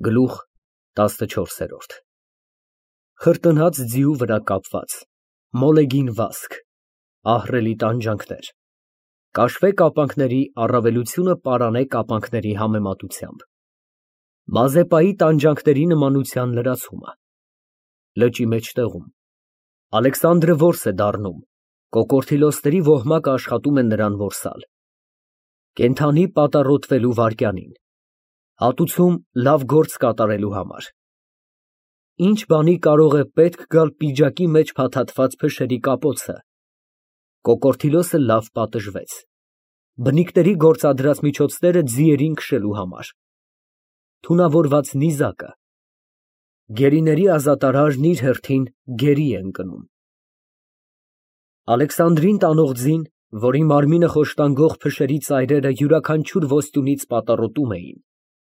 Գլուխ 14 Խրտնած ձիու վրա կապված, մոլեգին վազք, ահռելի տանջանքներ, կաշվե կապանքների առավելությունը պարանե կապանքների համեմատությամբ, Մազեպայի տանջանքների նմանության լրացումը, լճի մեջտեղում, Ալեքսանդրը որս է դառնում, կոկորդիլոսների ոհմակը աշխատում է նրան որսալ, կենդանի պատառոտվելու վայրկյանին, հատուցում լավ գործ կատարելու համար, ինչ բանի կարող է պետք գալ պիջակի մեջ փաթաթված փշերի կապոցը, կոկորդիլոսը լավ պատժվեց, բնիկների գործադրած միջոցները ձիերին քշելու համար, թունավորված նիզակը, գերիների ազատարարն իր հերթին գերի է ընկնում, Ալեքսանդրին տանող ձին, որի մարմինը խոշտանգող փշերի ծայրերը յուրաքանչյուր ոստյունից պատառոտում էին,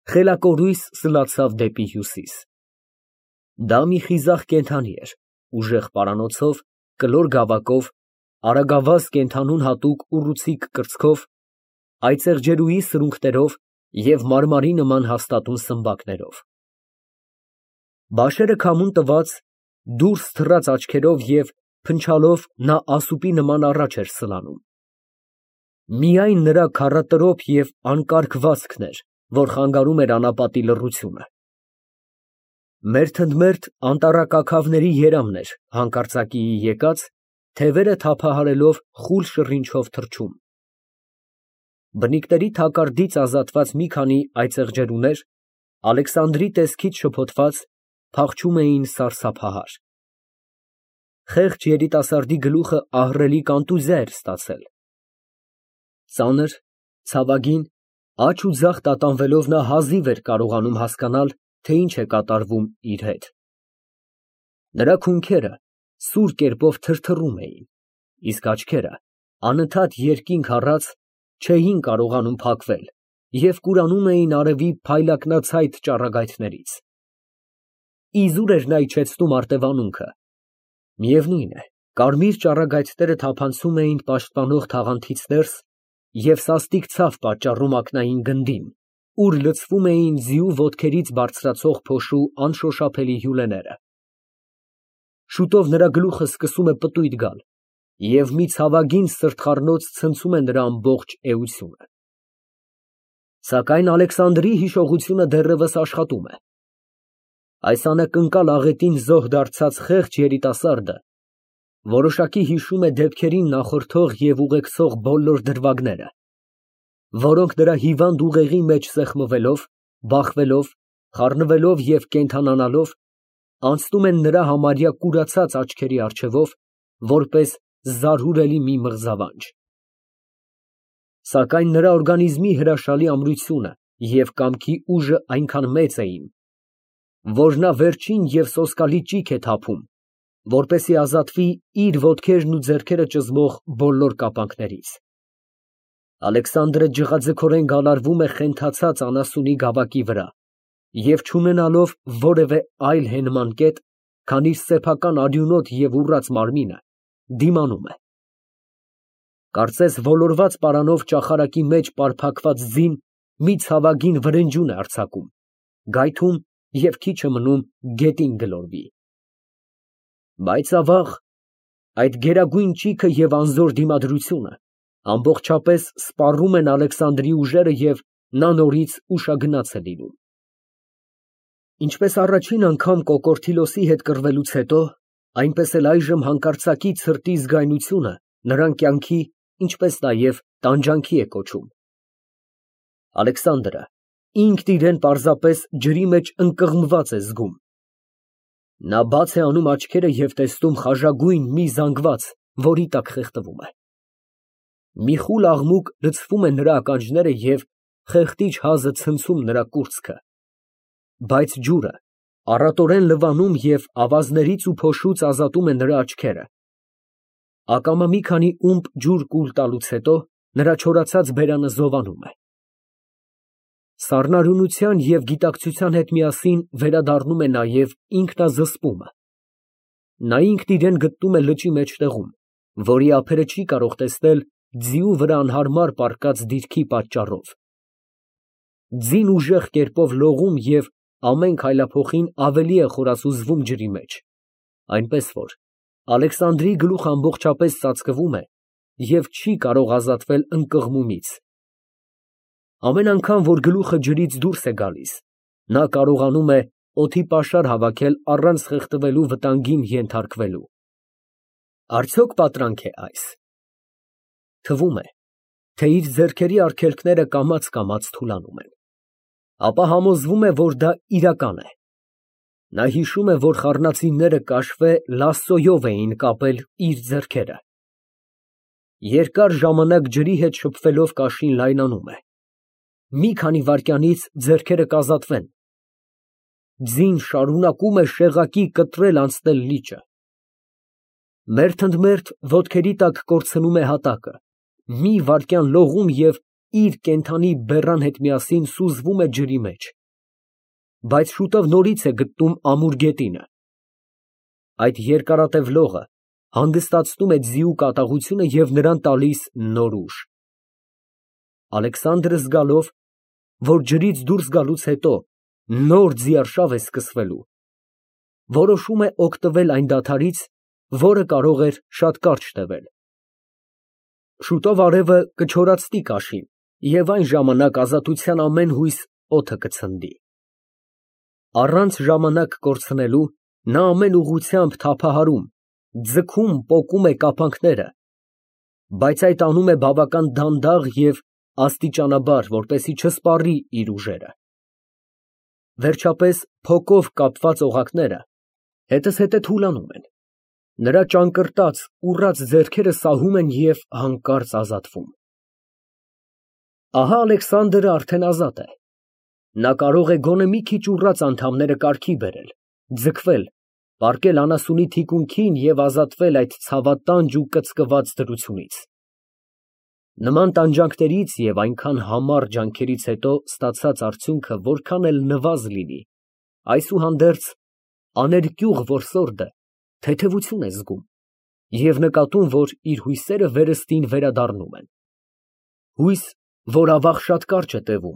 խելակորույս սլացավ դեպի հյուսիս։ Դա մի խիզախ կենդանի էր, ուժեղ պարանոցով, կլոր գավակով, արագավազ կենդանուն հատուկ ուռուցիկ կրծքով, այծեղջերուի սրունքներով և մարմարի նման հաստատուն սմբակներով։ Բաշերը քամուն տված, դուրս թռած աչքերով և փնչալով նա ասուպի նման առաջ էր սլանում։ Միայն նրա քառատրոփ և անկարգ վազքն էր, որ խանգարում էր անապատի լռությունը։ Մերթընդմերթ անտառակաքավների երամն էր հանկարծակիի եկած, թևերը թափահարելով խուլ շռինչով թռչում։ Բնիկների թակարդից ազատված մի քանի այծեղջերուներ, Ալեքսանդրի տեսքից շփոթված, փախչում էին սարսափահար։ Խեղճ երիտասարդի գլուխը ահռելի կոնտուզիա էր ստացել։ Ծանր, ցավագին, աջ ու ձախ տատանվելով նա հազիվ էր կարողանում հասկանալ, թե ինչ է կատարվում իր հետ։ Նրա քունքերը սուր կերպով թրթռում էին, իսկ աչքերը, անընդհատ երկինք առած, չէին կարողանում փակվել և կուրանում էին արևի փայլակնացայտ ճառագայթներից։ Իզուր էր նա իջեցնում արտևանունքը։ Միևնույն է, կարմիր ճառագայթները թափանցում էին պաշտպանող թաղանթից ներս և սաստիկ ցավ պատճառում ակնային գնդին, ուր լցվում էին ձիու ոտքերից բարձրացող փոշու անշոշափելի հյուրեները։ Շուտով նրա գլուխը սկսում է պտույտ գալ, և մի ցավագին սրտխառնոց ցնցում է նրա ամբողջ էությունը։ Սակայն Ալեքսանդրի հիշողությունը դեռևս աշխատում է։ Այս անակնկալ աղետին զոհ դարձած խեղճ երիտասարդը որոշակի հիշում է դեպքերին նախորդող և ուղեկցող բոլոր դրվագները, որոնք նրա հիվանդ ուղեղի մեջ սեղմվելով, բախվելով, խառնվելով և կենդանանալով, անցնում են նրա համարյա կուրացած աչքերի առջևով, որպես զարհուրելի մի մղձավանջ։ Սակայն նրա օրգանիզմի հրաշալի ամրությունը և կամքի ուժը այնքան մեծ էին, որ նա վերջին և սոսկալի ճիգ է թափում, որպեսզի ազատվի իր ոտքերն ու ձեռքերը ճզմող բոլոր կապանքներից։ Ալեքսանդրը ջղաձգորեն գալարվում է խենթացած անասունի գավակի վրա և չունենալով որևէ այլ հենման կետ, քան իր սեփական արյունոտ և ուռած մարմինը, դիմանում է։ Կարծես ոլորված պարանով ճախարակի մեջ պարփակված ձին մի ցավագին վրենջուն է արձակում, գայթում և քիչ է մնում գետին գլորվի։ Բայց ավաղ, այդ գերագույն ճիգը և անզոր դիմադրությունը ամբողջապես սպառում են Ալեքսանդրի ուժերը և նա նորից ուշագնաց է լինում։ Ինչպես առաջին անգամ կոկորդիլոսի հետ կռվելուց հետո, այնպես էլ այժմ հանկարծակի ցրտի զգայունությունը նրան կյանքի, ինչպես նաև տանջանքի է կոչում։ Ալեքսանդրը ինքն իրեն պարզապես ջրի մեջ ընկղմված է զգում։ Նա բաց է անում աչքերը և տեսնում խաժագույն մի զանգված, որի տակ խեղդվում է։ Մի խուլ աղմուկ լցվում է նրա ականջները և խեղդիչ հազը ցնցում նրա կուրծքը, բայց ջուրը առատորեն լվանում և ավազներից ու փոշուց ազատում է նրա աչքերը։ Ակամա մի քանի ումպ ջուր կուլ տալուց հետո նրա չորացած բերանը զովանում է։ Սառնարյունության և գիտակցության հետ միասին վերադառնում է նաև ինքնազսպումը։ Նա ինքն իրեն գտնում է լճի մեջտեղում, որի ափերը չի կարող տեսնել ձիու վրա անհարմար պառկած դիրքի պատճառով։ Ձին ուժեղ կերպով լողում և ամեն քայլափոխին ավելի է խորասուզվում ջրի մեջ, այնպես որ Ալեքսանդրի գլուխը ամբողջապես ծածկվում է և չի կարող ազատվել ընկղմումից։ Ամեն անգամ, որ գլուխը ջրից դուրս է գալիս, նա կարողանում է օդի պաշար հավաքել առանց խեղդվելու վտանգին ենթարկվելու։ Արդյոք պատրանք է այս։ Թվում է, թե իր ձեռքերի արգելքները կամաց թուլանում են, ապա համոզվում է, որ դա իրական է։ Նա հիշում է, որ խառնածինները կաշվե լասսոյով էին կապել իր ձեռքերը։ Երկար ժամանակ ջրի հետ շփվելով կաշին լայնանում է։ Մի քանի վայրկյանից ձեռքերը կազատվեն։ Ձին շարունակում է շեղակի կտրել անցնել լիճը։ Մերթ ընդ մերթ ոտքերի տակ կորցնում է հատակը, մի վայրկյան լողում և իր կենդանի բեռան հետ միասին սուզվում է ջրի մեջ, բայց շուտով նորից է գտնում ամուր գետինը։ Այդ երկարատև լողը հանգստացնում է ձիու կատաղությունը և նրան տալիս նոր ուժ։ Ալեքսանդրը զգալով, որ ջրից դուրս գալուց հետո նոր ձիարշավ է սկսվելու, որոշում է օգտվել այն դադարից, որը կարող էր շատ կարճ տևել։ Շուտով արևը կչորացնի կաշին, և այն ժամանակ ազատության ամեն հույս օդը կցնդի։ Առանց ժամանակ կորցնելու նա ամեն ուղղությամբ թափահարում, ձգում, պոկում է կապանքները, բայց այդ անում է բավական դանդաղ և աստիճանաբար, որպեսզի չսպառի իր ուժերը։ Վերջապես փոկով կապված օղակները հետզհետե թուլանում են, նրա ճանկռտած, ուռած ձեռքերը սահում են և հանկարծ ազատվում։ Ահա Ալեքսանդրը արդեն ազատ է։ Նա կարող է գոնե մի քիչ ուռած անդամները կարգի բերել, ձգվել, պառկել անասունի թիկունքին և ազատվել այդ ցավատանջ ու կծկված դրությունից։ Նման տանջանքներից և այնքան համառ ջանքերից հետո ստացած արդյունքը որքան էլ նվազ լինի, այսուհանդերձ աներկյուղ որսորդը թեթևություն է զգում և նկատում, որ իր հույսերը վերստին վերադառնում են։ Հույս, որ ավաղ շատ կարճ է տևում,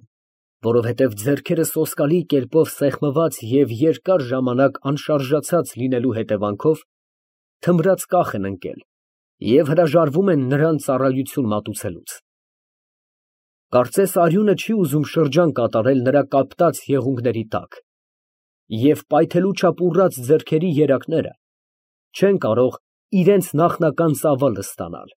որովհետև ձեռքերը սոսկալի կերպով սեղմված և երկար ժամանակ անշարժացած լինելու հետևանքով թմրած կախ են ընկել և հրաժարվում են նրան ծառայություն մատուցելուց։ Կարծես արյունը չի ուզում շրջան կատարել նրա կապտած եղունգների տակ, և պայթելու չափ ուռած ձեռքերի երակները չեն կարող իրենց նախնական ծավալը ստանալ։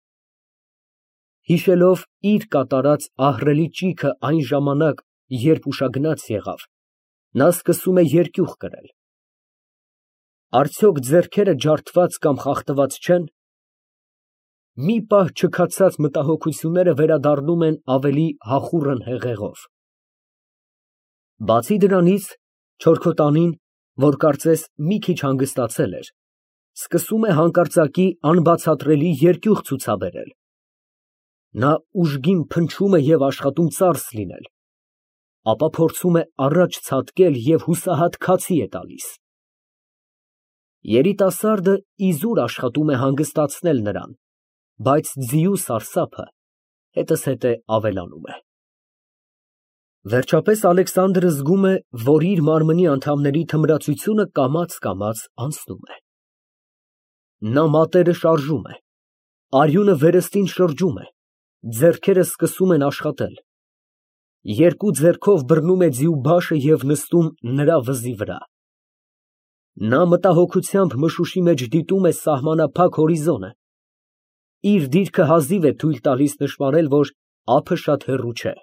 Հիշելով իր կատարած ահռելի ճիգը այն ժամանակ, երբ ուշագնաց եղավ, նա սկսում է երկյուղ կրել։ Արդյոք ձեռքերը ջարդված կամ խախտված չեն։ Մի պահ չքացած մտահոգությունները վերադառնում են ավելի հախուռն հեղեղով։ Բացի դրանից, չորքոտանին, որ կարծես մի քիչ հանգստացել էր, սկսում է հանկարծակի անբացատրելի երկյուղ ցուցաբերել։ Նա ուժգին փնչում է և աշխատում ծարս լինել, ապա փորձում է առաջ ցատկել և հուսահատ քացի է տալիս։ Երիտասարդը իզուր աշխատում է հանգստացնել նրան, բայց ձիու սարսափը հետզհետե ավելանում է։ Վերջապես Ալեքսանդրը զգում է, որ իր մարմնի անդամների թմրացությունը կամաց անցնում է։ Նա մատները շարժում է, արյունը վերստին շրջում է, ձեռքերը սկսում են աշխատել։ Երկու ձեռքով բռնում է ձիու բաշը և նստում նրա վզի վրա։ Նա մտահոգությամբ մշուշի մեջ դիտում է սահմանափակ հորիզոնը։ Իր դիրքը հազիվ է թույլ տալիս նշմարել, որ ափը շատ հեռու չէ։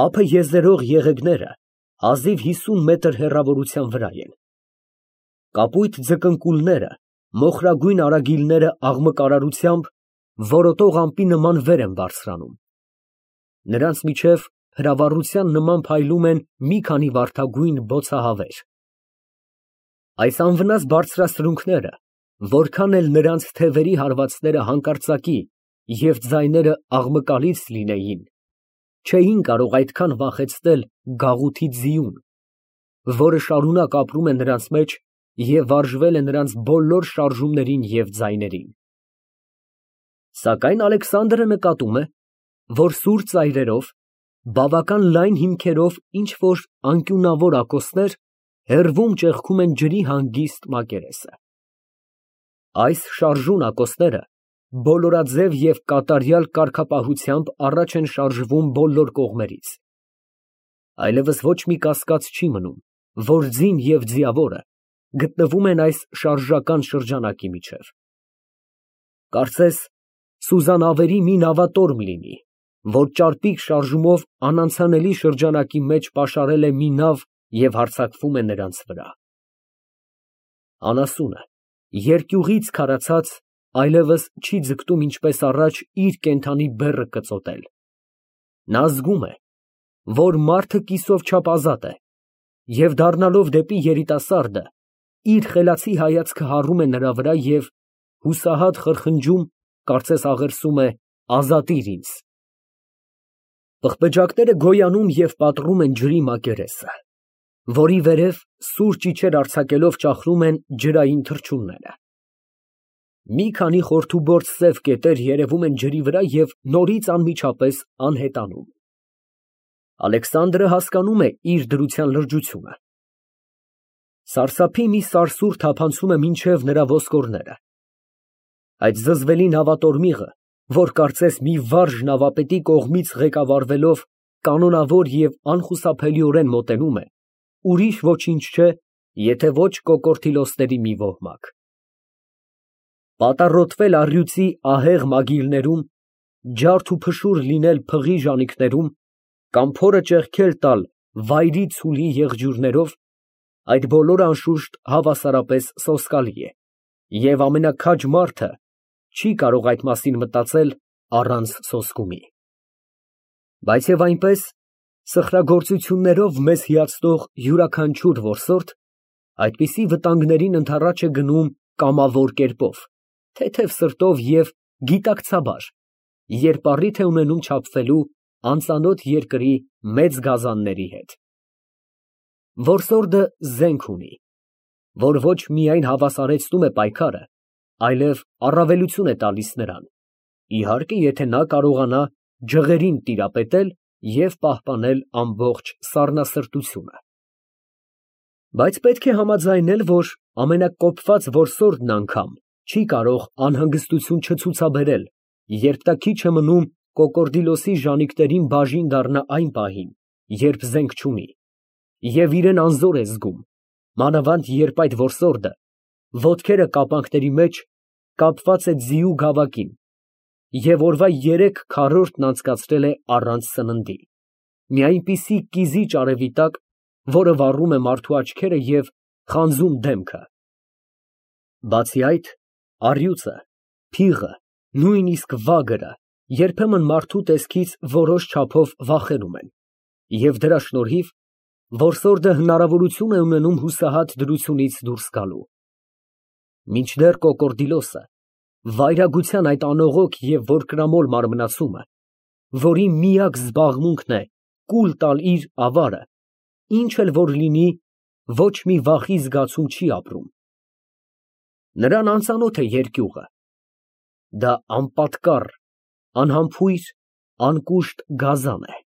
Ափը եզերող եղեգները հազիվ 50 մետր հեռավորության վրա են։ Կապույտ ձկնկուլները, մոխրագույն արագիլները աղմկարարությամբ որոտող ամպի նման վեր են բարձրանում։ Նրանց միջև հրավառության նման փայլում են մի քանի վարդագույն բոցահավեր։ Այս անվնաս բարձրասրունքները, որքան էլ նրանց թևերի հարվածները հանկարծակի և ձայները աղմկալից լինեին, չէին կարող այդքան վախեցնել գաղութի ձիուն, որը շարունակ ապրում է նրանց մեջ և վարժվել է նրանց բոլոր շարժումներին և ձայներին։ Սակայն Ալեքսանդրը նկատում է, որ սուր ծայրերով, Բավական լայն հիմքերով ինչ֊որ անկյունավոր ակոսներ հեռվում ճեղքում են ջրի հանգիստ մակերեսը։ Այս շարժուն ակոսները բոլորաձև և կատարյալ կարգապահությամբ առաջ են շարժվում բոլոր կողմերից։ Այլևս ոչ մի կասկած չի մնում, որ ձին և ձիավորը գտնվում են այս շարժական շրջանակի միջև։ Կարծես սուզանավերի մի նավատորմ լինի, որ ճարպիկ շարժումով անանցանելի շրջանակի մեջ պաշարել է մի նավ և հարձակվում է նրանց վրա։ Անասունը, երկյուղից քարացած, այլևս չի ձգտում ինչպես առաջ իր կենդանի բեռը կծոտել։ Նա զգում է, որ մարդը կիսով չափ ազատ է, և դառնալով դեպի երիտասարդը, իր խելացի հայացքը հառում է նրա վրա և հուսահատ խրխնջում, կարծես աղերսում է. «Ազատիր ինձ»։ Պղպեջակները գոյանում և պատռում են ջրի մակերեսը, որի վերև սուր ճիչեր արձակելով ճախրում են ջրային թռչունները։ Մի քանի խորթուբորդ սև կետեր երևում են ջրի վրա և նորից անմիջապես անհետանում։ Ալեքսանդրը հասկանում է իր դրության լրջությունը։ Սարսափի մի սարսուռ թափանցում է մինչև նրա ոսկորները։ Այդ զզվելի նավատորմիղը, որ կարծես մի վարժ նավապետի կողմից ղեկավարվելով կանոնավոր և անխուսափելիորեն մոտենում է, ուրիշ ոչինչ չէ, եթե ոչ կոկորդիլոսների մի ոհմակ։ Պատառոտվել առյուծի ահեղ մագիլներում, ջարդ ու փշուր լինել փղի ժանիքներում կամ փորը ճեղքել տալ վայրի ցուլի եղջյուրներով, այդ բոլորը անշուշտ հավասարապես սոսկալի է, և ամենաքաջ մարդը չի կարող այդ մասին մտածել առանց սոսկումի։ Բայց և այնպես, սխրագործություններով մեզ հիացնող յուրաքանչյուր որսորդ այդպիսի վտանգներին ընդառաջ է գնում կամավոր կերպով, թեթև սրտով և գիտակցաբար, երբ առիթ է ունենում չափվելու անծանոթ երկրի մեծ գազանների հետ։ Որսորդը զենք ունի, որ ոչ միայն հավասարեցնում է պայքարը, այլև առավելություն է տալիս նրան, իհարկե, եթե նա կարողանա ջղերին տիրապետել և պահպանել ամբողջ սառնասրտությունը։ Բայց պետք է համաձայնել, որ ամենակոպված որսորդն անգամ չի կարող անհանգստություն չցուցաբերել, երբ նա քիչ է մնում կոկորդիլոսի ժանիքներին բաժին դառնա այն պահին, երբ զենք չունի, և իրան անզոր է զգում, մանավանդ երբ այդ որսորդը, ոտքերը կապանքների մեջ, կապված է ձիու գավակին և օրվա 3 քառորդն անցկացրել է առանց սննդի, մի այնպիսի կիզիչ արևի տակ, որը վառում է մարդու աչքերը և խանձում դեմքը։ Բացի այդ, առյուծը, փիղը, նույնիսկ վագրը երբեմն մարդու տեսքից որոշ չափով վախենում են, և դրա շնորհիվ որսորդը հնարավորություն է ունենում հուսահատ դրությունից դուրս գալու։ Մինչդեռ կոկորդիլոսը, վայրագության այդ անողոք և որկրամոլ մարմնացումը, որի միակ զբաղմունքն է կուլ տալ իր ավարը, ինչ էլ որ լինի, ոչ մի վախի զգացում չի ապրում։ Նրան անծանոթ է երկյուղը, դա անպատկառ, անհամբույր, անկուշտ գազան է։